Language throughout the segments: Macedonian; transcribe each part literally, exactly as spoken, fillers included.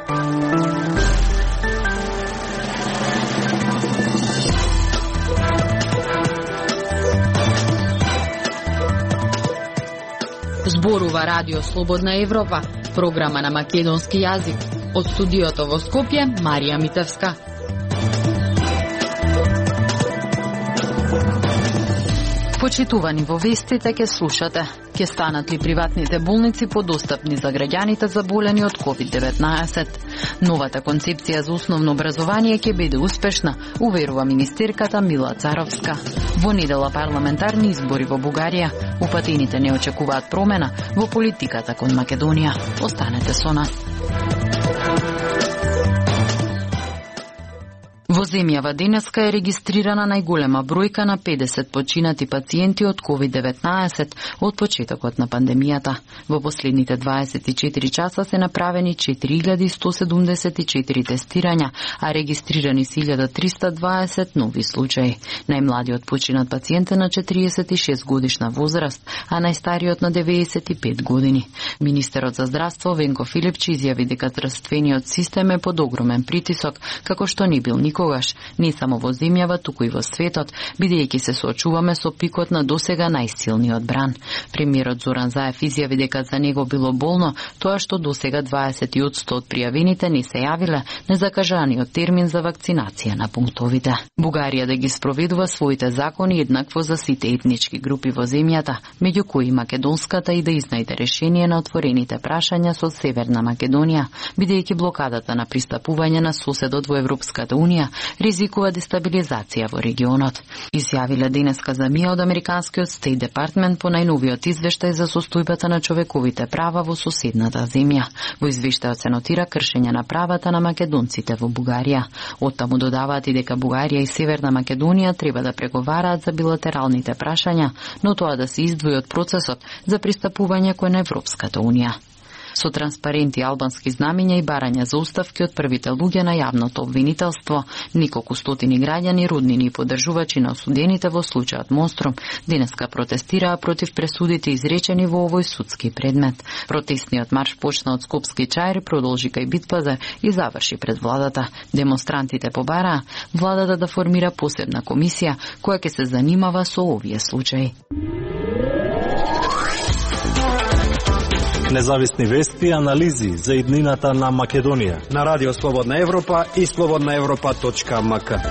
Зборува Радио Слободна Европа, програма на македонски јазик. Од студиото во Скопје, Марија Митевска. Почитувани во вестите ке слушате. Ке станат ли приватните болници подостапни за граѓаните заболени од ковид деветнаесет? Новата концепција за основно образование ќе биде успешна, уверува министерката Мила Царовска. Во недела парламентарни избори во Бугарија. Упатените не очекуваат промена во политиката кон Македонија. Останете со нас. Во земјава денеска е регистрирана најголема бројка на педесет починати пациенти од ковид деветнаесет од почетокот на пандемијата. Во последните дваесет и четири часа се направени четири илјади сто седумдесет и четири тестирања, а регистрирани се илјада триста дваесет нови случаи. Најмладиот починат пациент е на четириесет и шест годишна возраст, а најстариот на деветдесет и пет години. Министерот за здравство Венко Филипчи изјави дека здравствениот систем е под огромен притисок, како што не бил никогаш, не само во земјава, туку и во светот, бидејќи се соочуваме со пикот на досега најсилниот бран. Премиерот Зоран Заев изјави дека за него било болно тоа што досега дваесет одсто од пријавените не се јавиле незакажаниот термин за вакцинација на пунктовите. Бугарија да ги спроведува своите закони еднакво за сите етнички групи во земјата, меѓу кои македонската, и да изнајде решение на отворените прашања со Северна Македонија, бидејќи блокадата на пристапување на соседот во Европската Унија ризикува дестабилизација во регионот. Изјавиле денеска за МИА од Американскиот Стейт Департмент по најновиот извештај за состојбата на човековите права во соседната земја. Во извештајот се нотира кршење на правата на македонците во Бугарија. Оттаму додаваат и дека Бугарија и Северна Македонија треба да преговараат за билатералните прашања, но тоа да се издвои од процесот за пристапување кон Европската Унија. Со транспаренти, албански знамиња и барања за оставки од првите луѓе на јавното обвинителство, неколку стотини граѓани, роднини и поддржувачи на осудените во случајот Монструм денеска протестираа против пресудите изречени во овој судски предмет. Протестниот марш почна од Скопски чаир, продолжи кај Битпазар и заврши пред владата. Демонстрантите побараа владата да формира посебна комисија која ќе се занимава со овие случаи. Независни вести и анализи за иднината на Македонија на Радио Слободна Европа и слободна европа точка ем ка.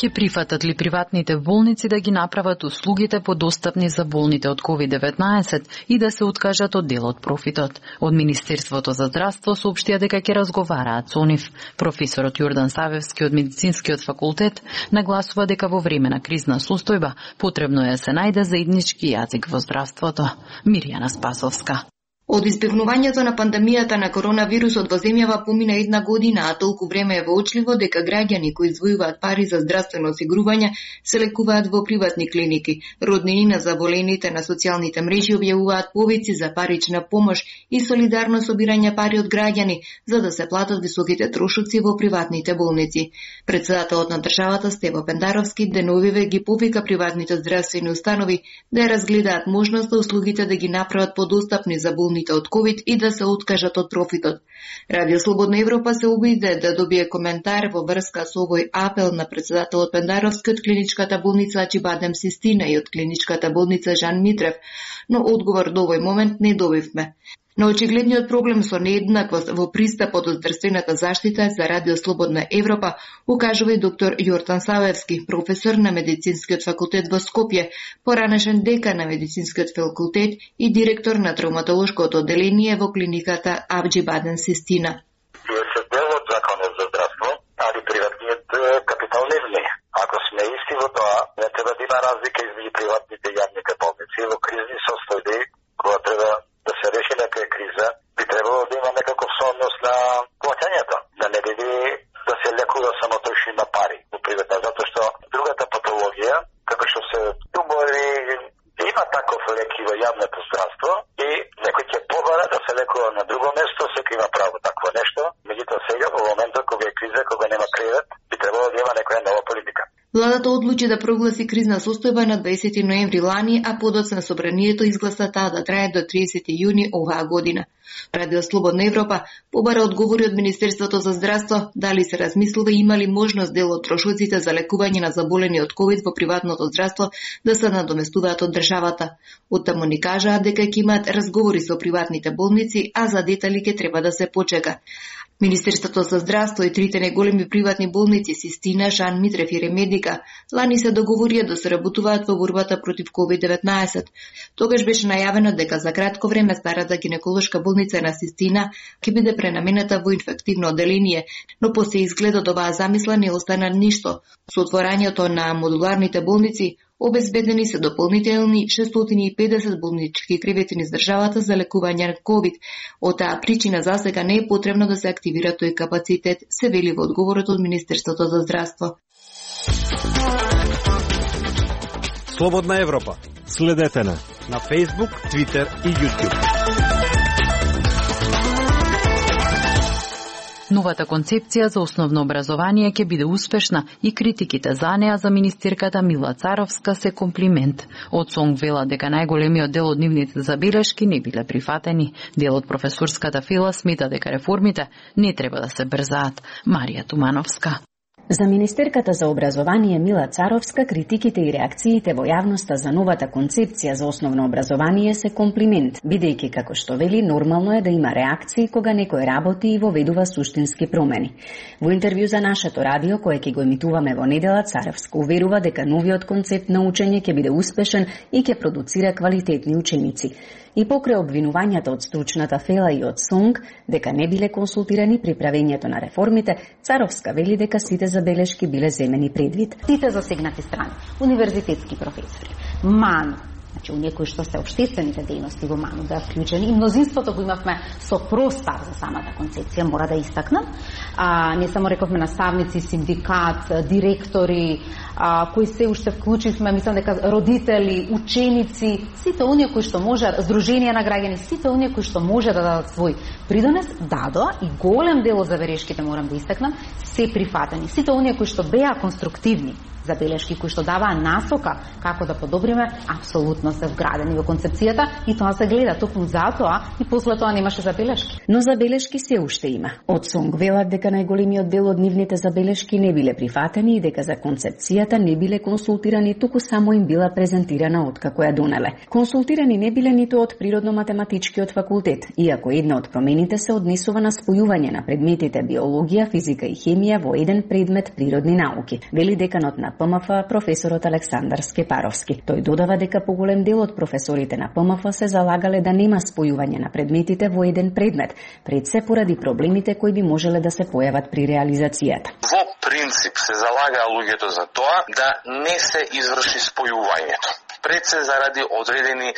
Ќе прифатат ли приватните болници да ги направат услугите подостапни за болните од ковид деветнаесет и да се откажат од дел од профитот? Од Министерството за здравство соопштија дека ќе разговараат со нив. Професорот Јордан Савевски од Медицинскиот факултет нагласува дека во време на кризна состојба потребно е да се најде заеднички јазик во здравството. Мирјана Спасовска. Од избегнувањето на пандемијата на коронавирусот во земјава помина една година, а толку време е воочливо дека граѓани кои издвојуваат пари за здравствено осигурување се лекуваат во приватни клиники. Роднини на заболените на социјалните мрежи објавуваат повици за парична помош и солидарно собирање пари од граѓани за да се платат високите трошоци во приватните болници. Претседателот на државата Стево Пендаровски деновиве ги повика приватните здравствени установи да ја разгледаат можноста услугите да ги направат подостапни за болници од ковид и да се откажат од профитот. Радио Слободна Европа се обиде да добие коментар во врска со овој апел на претседателот Пендаровски од клиничката болница Ачибадем Систина и од клиничката болница Жан Митрев, но одговор до овој момент не добивме. На очигледниот проблем со нееднаквост во пристапот до здравствената заштита за Радио Слободна Европа укажува и доктор Јордан Савевски, професор на Медицинскиот факултет во Скопје, поранешен декан на Медицинскиот факултет и директор на травматолошкото одделение во клиниката Ачибадем Систина. Вие се дел од законот за здравство, али приватниот капитал не влие. Ако сме исти во тоа, не треба да има разлика измеѓу приватните и јавните болници во кризни состојби, кога треба да се реши некоја криза, би требало да има некаков сооднос на плаќањето, да не биде да се лекува само тој што има пари во приватна, затоа што другата патологија, како што се тумори, има таков леки во јавното здравство и некој ќе побара да се лекува на друго место, секој има право такво нешто, меѓутоа сега во моментот кога е криза, кога нема кредит, би требало да има некоја нова политика. Владата одлучи да прогласи кризна состојба на дваесети ноември лани, а подоцна собранието изгласа таа да трае до триесети јуни оваа година. Радио Слободна Европа побара одговори од Министерството за здравство дали се размислува има ли можност дел од трошоците за лекување на заболени од ковид во приватното здравство да се надоместуваат од државата. Оттаму ни кажаа дека ќе имаат разговори со приватните болници, а за детали ќе треба да се почека. Министерството за здравство и трите најголеми приватни болници Систина, Жан Митрев и Ремедика лани се договорија да соработуваат во борбата против ковид деветнаесет. Тогаш беше најавено дека за кратко време старата гинеколошка болница на Систина ќе биде пренаменета во инфективно одделение, но по се изглед од оваа замисла не остана ништо. Со отворањето на модуларните болници обезбедени се дополнителни шестстотини и педесет болнички кревети низ државата за лекување на ковид. Од таа причина засега не е потребно да се активира тој капацитет, се вели во одговорот од Министерството за здравство. Слободна Европа. Следете на на Facebook, Twitter и YouTube. Новата концепција за основно образование ќе биде успешна и критиките за неа за министерката Мила Царовска се комплимент. Од СОНГ вела дека најголемиот дел од нивните забелешки не биле прифатени. Дел од професорската фила смета дека реформите не треба да се брзаат. Марија Тумановска. За министерката за образование Мила Царовска, критиките и реакциите во јавноста за новата концепција за основно образование се комплимент, бидејќи, како што вели, нормално е да има реакции кога некој работи и воведува суштински промени. Во интервју за нашето радио, кое ќе го емитуваме во недела, Царовска уверува дека новиот концепт на учење ќе биде успешен и ќе продуцира квалитетни ученици. И покрај обвинувањата од стручната фела и од СОНГ дека не биле консултирани при правењето на реформите, Царовска вели дека сите забелешки биле земени предвид. Сите засегнати страни, универзитетски професори, МАН, значи оние кои што се општествените дејности во МАН да вклучени, и мнозинството го имавме со простар за самата концепција, мора да истакнам. А, не само рековме наставници, синдикат, директори, а, кои се уште вклучивме, мислам дека родители, ученици, сите оние кои што може, здруженија на граѓани, сите оние кои што може да дадат свој придонес, дадоа и голем дел од забелешките, морам да истакнам, се прифатени. Сите оние кои што беа конструктивни забелешки кои што даваа насока како да подобриме, апсолутно се вградени во концепцијата и тоа се гледа токму затоа и после тоа немаше забелешки. Но забелешки се уште има. Од СОНГ велат дека најголемиот дел од нивните забелешки не биле прифатени и дека за концепцијата не биле консултирани, туку само им била презентирана откако ја донеле. Консултирани не биле ниту од Природно-математичкиот факултет, иако една од промените се однесува на спојување на предметите биологија, физика и хемија во еден предмет природни науки. Вели деканот на ПМФ професорот Александар Скепаровски. Тој додава дека поголем дел од професорите на ПМФ се залагале да нема спојување на предметите во еден предмет, пред се поради проблемите кои би можеле да се појават при реализацијата. Во принцип се залагаа луѓето за тоа да не се изврши спојувањето. Пред се заради одредени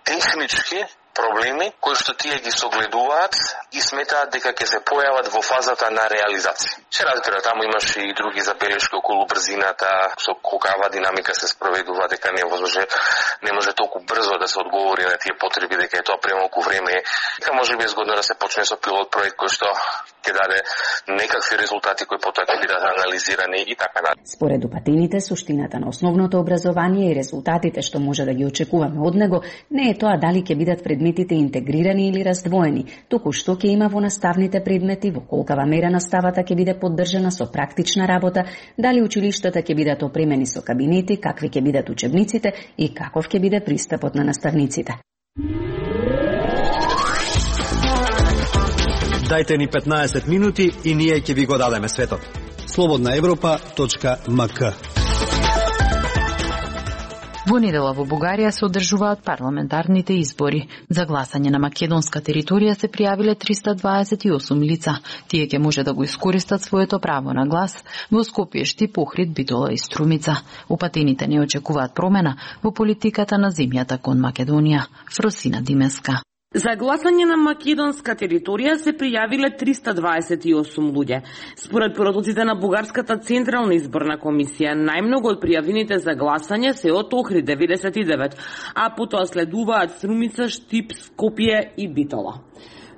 технички проблеми кои што тие ги согледуваат и сметаат дека ќе се појават во фазата на реализација. Се разбира, таму имаше и други забелешки околу брзината, со каква динамика се спроведува, дека не може не може толку брзо да се одговори на тие потреби, дека е тоа премалку време. Дека може би е згодно да се почне со пилот проект кој што ќе даде некакви резултати кои потоа ќе бидат анализирани и така натаму. Според упатените, суштината на основното образование и резултатите што може да ги очекуваме од него не е тоа дали ќе бидат предметите интегрирани или раздвоени, туку што ќе има во наставните предмети, во колкава мера наставата ќе биде поддржана со практична работа, дали училиштата ќе бидат опремени со кабинети, какви ќе бидат учебниците и каков ќе биде пристапот на наставниците. Дајте ни петнаесет минути и ние ќе ви го дадеме светот. слободна европа точка ем ка. Во недела во Бугарија се одржуваат парламентарните избори. За гласање на македонска територија се пријавиле триста дваесет и осум лица. Тие ќе може да го искористат своето право на глас во Скопје, Штип, Охрид, Битола и Струмица. Упатените не очекуваат промена во политиката на земјата кон Македонија. Фросина Димеска. За гласање на македонска територија се пријавиле триста дваесет и осум луѓе. Според продуците на Бугарската централна изборна комисија, најмногу од пријавените за гласање се од Охрид деветдесет и девет, а потоа следуваат Струмица, Штип, Скопје и Битола.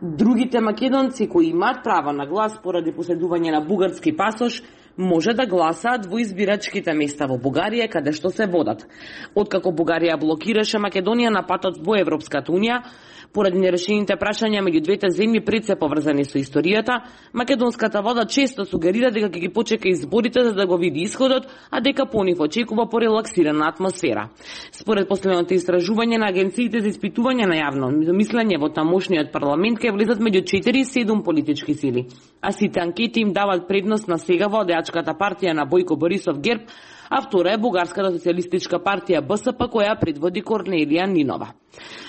Другите македонци кои имаат право на глас поради поседување на бугарски пасош може да гласаат во избирачките места во Бугарија каде што се водат. Откако Бугарија блокираше Македонија на патот во Европската унија, поради нерешените прашања меѓу двете земји пред се поврзани со историјата, македонската влада често сугерира дека ќе ги почека изборите за да го види исходот, а дека по нив очекува порелаксирана атмосфера. Според последното истражување на агенциите за испитување на јавно мислење во тамошниот парламент ќе влезат меѓу четири и седум политички сили, а сите анкети им дават предност на сега владеачката партија на Бојко Борисов ГЕРБ, а втора е Бугарската социјалистичка партија Б С П која предводи Корнелија Нинова.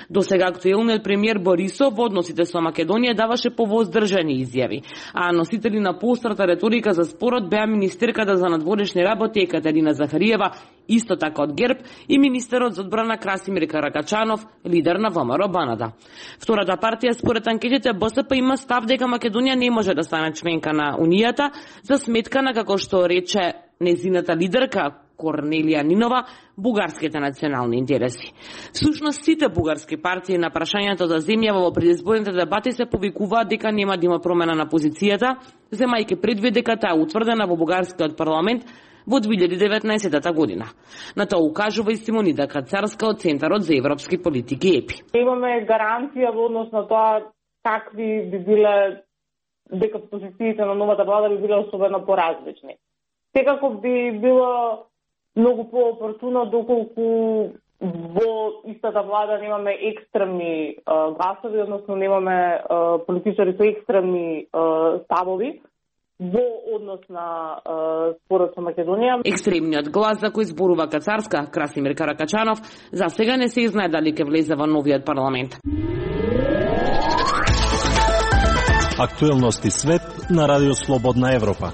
До сега актуелниот премиер Борисов во односите со Македонија даваше повоздржани изјави, а носители на поострата реторика за спорот беа министерката за надворешни работи Екатерина Захариева, исто така од ГЕРБ, и министерот за одбрана Красимир Каракачанов, лидер на ВМРО Баната. Втората партија според анкетите Б С П има став дека Македонија не може да стане членка на Унијата за сметка на, како што рече незината лидерка Корнелија Нинова, бугарските национални интереси. Всушност, сите бугарски партии на прашањето за земја во предизборните дебати се повикуваат дека нема да има промена на позицијата, земајќи предвид дека таа утврдена во бугарскиот парламент во две илјади и деветнаесетта година. На тоа укажува и Симонида Кацарска од Центарот за европски политики Е П И. Имаме гаранција во однос на тоа какви би биле, дека позициите на новата влада би биле особено поразлични. Секако би било многу по-опортуно доколку во истата влада немаме екстремни а, гласови, односно немаме а, политичари со екстремни а, ставови во однос на а, спорот со Македонија. Екстремниот глас за кој зборува Кацарска, Красимир Каракачанов, за сега не се знае дали ќе влезе во новиот парламент. Актуелности свет на Радио Слободна Европа.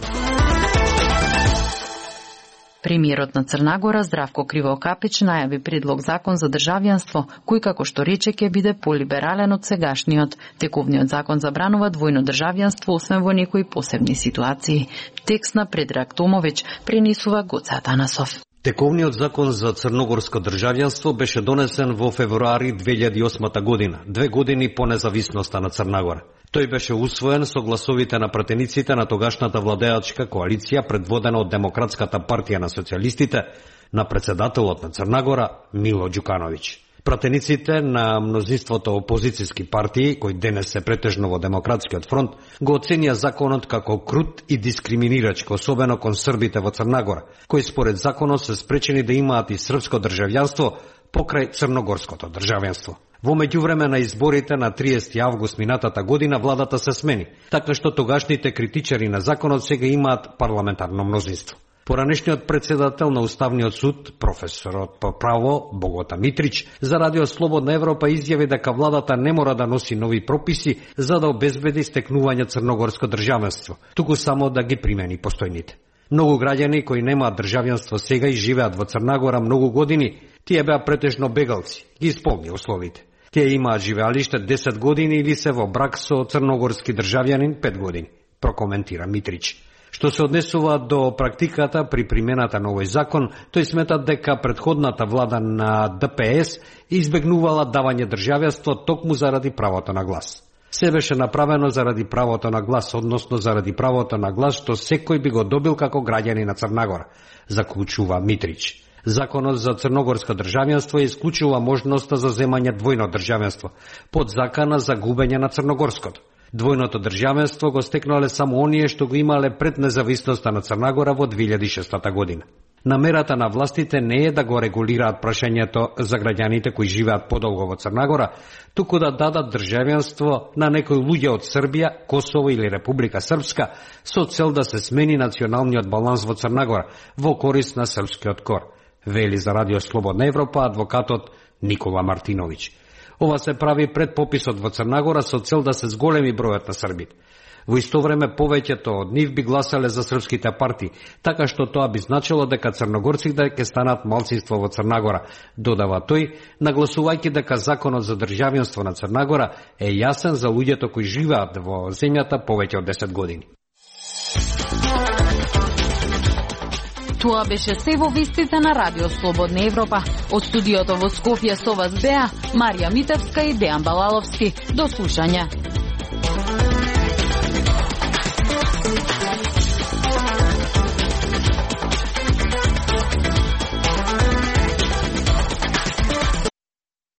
Премиерот на Црна Гора Здравко Кривокапич најави предлог закон за државјанство, кој како што рече ќе биде полиберален од сегашниот. Тековниот закон забранува двојно државјанство освен во некои посебни ситуации. Текст на Предраг Томовиќ пренесува Гоце Атанасов. Тековниот закон за црногорско државјанство беше донесен во февруари две илјади и осма година, две години по независноста на Црна Гора. Тој беше усвоен со гласовите на пратениците на тогашната владеачка коалиција предводена од Демократската партија на социјалистите, на председателот на Црна Гора Мило Ѓукановиќ. Пратениците на мнозинството опозицијски партии, кои денес се претежно во Демократскиот фронт, го оценија законот како крут и дискриминирачки, особено кон србите во Црна Гора, кои според законот се спречени да имаат и српско државјанство покрај црногорското државјанство. Во меѓувреме на изборите на триесети август минатата година владата се смени, така што тогашните критичари на законот сега имаат парламентарно мнозинство. Поранешниот председател на Уставниот суд, професорот по право Богота Митрич, за Радио Слободна Европа изјави дека владата не мора да носи нови прописи за да обезбеди стекнување црногорско државенство, туку само да ги примени постојните. Многу граѓани кои немаат државјанство сега и живеат во Црна Гора многу години, тие беа претежно бегалци, ги исполни условите. Тие имаат живеалиште десет години или се во брак со црногорски државјанин пет години, прокоментира Митрич. Што се однесува до практиката при примената на овој закон, тој смета дека претходната влада на Д П С избегнувала давање државјанство токму заради правото на глас. Се беше направено заради правото на глас, односно заради правото на глас што секој би го добил како граѓани на Црна Гора, заклучува Митрич. Законот за црногорско државјанство исклучува можноста за земање двојно државјанство, под закана за губење на црногорското. Двојното државенство го стекнале само оние што го имале пред независноста на Црна Гора во две илјади и шеста година. Намерата на властите не е да го регулираат прашањето за граѓаните кои живеат подолго во Црна Гора, туку да дадат државенство на некои луѓе од Србија, Косово или Република Српска со цел да се смени националниот баланс во Црна Гора во корист на српскиот кор, вели за Радио Слободна Европа адвокатот Никола Мартиновиќ. Ова се прави пред пописот во Црна Гора со цел да се зголеми бројот на србите. Во исто време повеќето од нив би гласале за српските партии, така што тоа би значило дека црногорците ќе станат малцинство во Црна Гора, додава тој, нагласувајќи дека законот за државјанство на Црна Гора е јасен за луѓето кои живеат во земјата повеќе од десет години. Тоа беше се во вестите на Радио Слободна Европа. Од студиото во Скопје со вас беа Марија Митевска и Дејан Балаловски. До слушање.